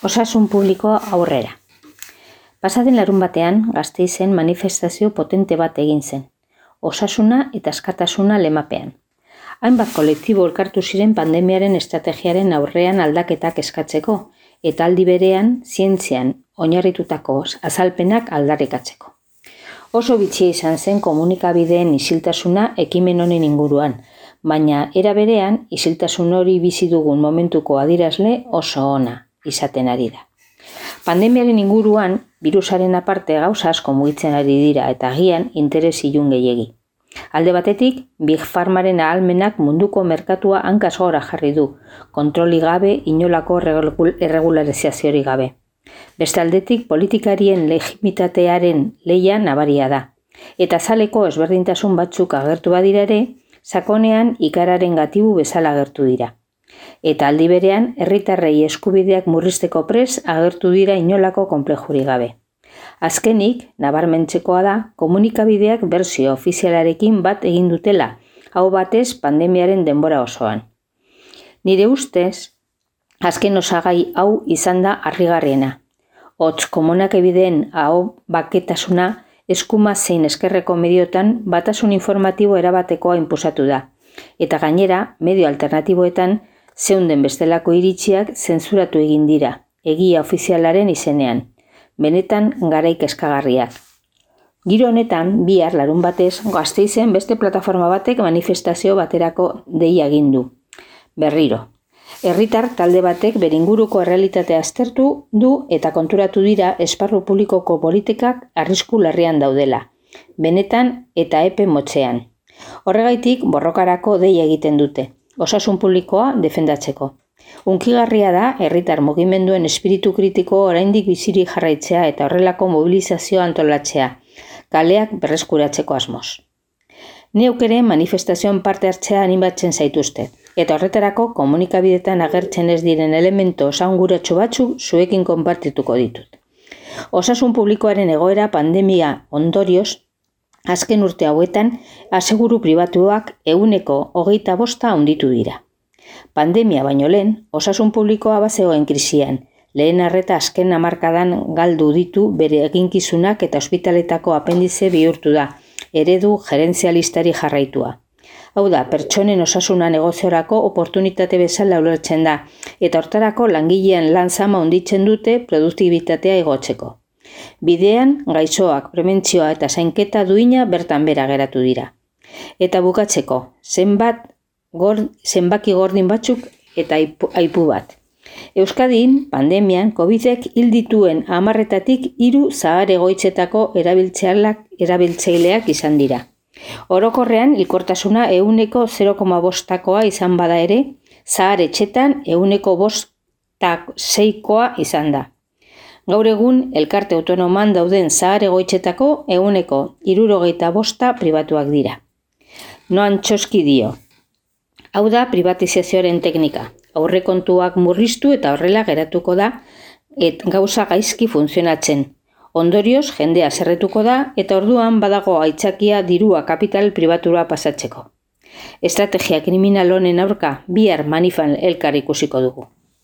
Osasun publikoa aurrera. Pasaden larunbatean Gasteizen manifestazio potente bat egin zen. Osasuna eta askatasuna lemapean. Hainbat kolektibo elkartu ziren pandemiaren estrategiaren aurrean aldaketak eskatzeko eta aldi berean zientzian oinarritutako azalpenak aldarrikatzeko. Oso bitxia izan zen komunikabideen isiltasuna ekimen honen inguruan, baina era berean isiltasun hori bizi dugun momentuko adierazle oso ona izaten ari da. Pandemiaren inguruan, birusaren aparte gauza asko mugitzen ari dira eta agian interes ilun gehiegi. Alde batetik, Big Pharmaren ahalmenak munduko merkatua hankaz gora jarri du, kontroli gabe, inolako erregularizaziorik gabe. Beste aldetik, politikarien legitimitatearen lehia nabaria da. Eta zaleko ezberdintasun batzuk agertu badira ere, sakonean ikararen gatibu bezala agertu dira. Eta aldi berean, herritarrei eskubideak murrizteko prest agertu dira inolako konplexurik gabe. Azkenik, nabarmentzekoa da, komunikabideak berzio ofizialarekin bat egin dutela, hau batez pandemiaren denbora osoan. Nire ustez, azken osagai hau izan da harrigarriena. Hots komunikabideen hau baketasuna eskuma zein eskerreko mediotan batasun informatibo erabatekoa inposatu da. Eta gainera, medio alternatiboetan zeunden bestelako iritziak zentzuratu egin dira, egia ofizialaren izenean. Benetan garaik eskagarriak. Giro honetan, bihar larunbatez Gasteizen beste plataforma batek manifestazio baterako deia egin du. Berriro. Herritar talde batek bere inguruko errealitatea aztertu du eta konturatu dira esparru publikoko politikak arrisku larrian daudela. Benetan eta epe motzean. Horregaitik borrokarako deia egiten dute. Osasun publikoa defendatzeko. Hunkigarria da herritar mugimenduen espiritu kritiko oraindik bizirik jarraitzea eta horrelako mobilizazioa antolatzea, kaleak berreskuratzeko asmoz. Neuk ere manifestazioan parte hartzea animatzen zaituzte, eta horretarako komunikabidetan agertzen ez diren elemento osasunguratsu batzuk zuekin konpartituko ditut. Osasun publikoaren egoera pandemia ondorioz, azken urte hauetan, aseguru pribatuak 25% handitu dira. Pandemia baino lehen, osasun publikoa bazegoen krisian, lehen arreta azken hamarkadan galdu ditu bere eginkizunak eta ospitaletako apendize bihurtu da, eredu gerentzialistari jarraitua. Hau da, pertsonen osasuna negoziorako oportunitate bezala ulertzen da, eta hortarako langileen lan zama handitzen dute produktibitatea igotzeko. Bidean, gaixoak, prebentzioa eta zainketa duina bertan bera geratu dira. Eta bukatzeko, zenbaki gordin batzuk eta aipu bat. Euskadin, pandemian, Covidek hil dituen 10-etatik 3 zahar egoitzetako erabiltzaileak izan dira. Orokorrean, hilkortasuna 0,5%koa izan bada ere, zahar etxetan 5,6%koa izan da. Gaur egun, elkarte autonoman dauden zahar egoitzetako 75% pribatuak dira. Noan Txoski dio. Hau da privatizazioaren teknika. Aurrekontuak murriztu eta horrela geratuko da gauza gaizki funtzionatzen. Ondorioz, jendea zerretuko da eta orduan badago aitzakia dirua kapital pribatura pasatzeko. Estrategia kriminal honen aurka bihar manifan elkar ikusiko dugu.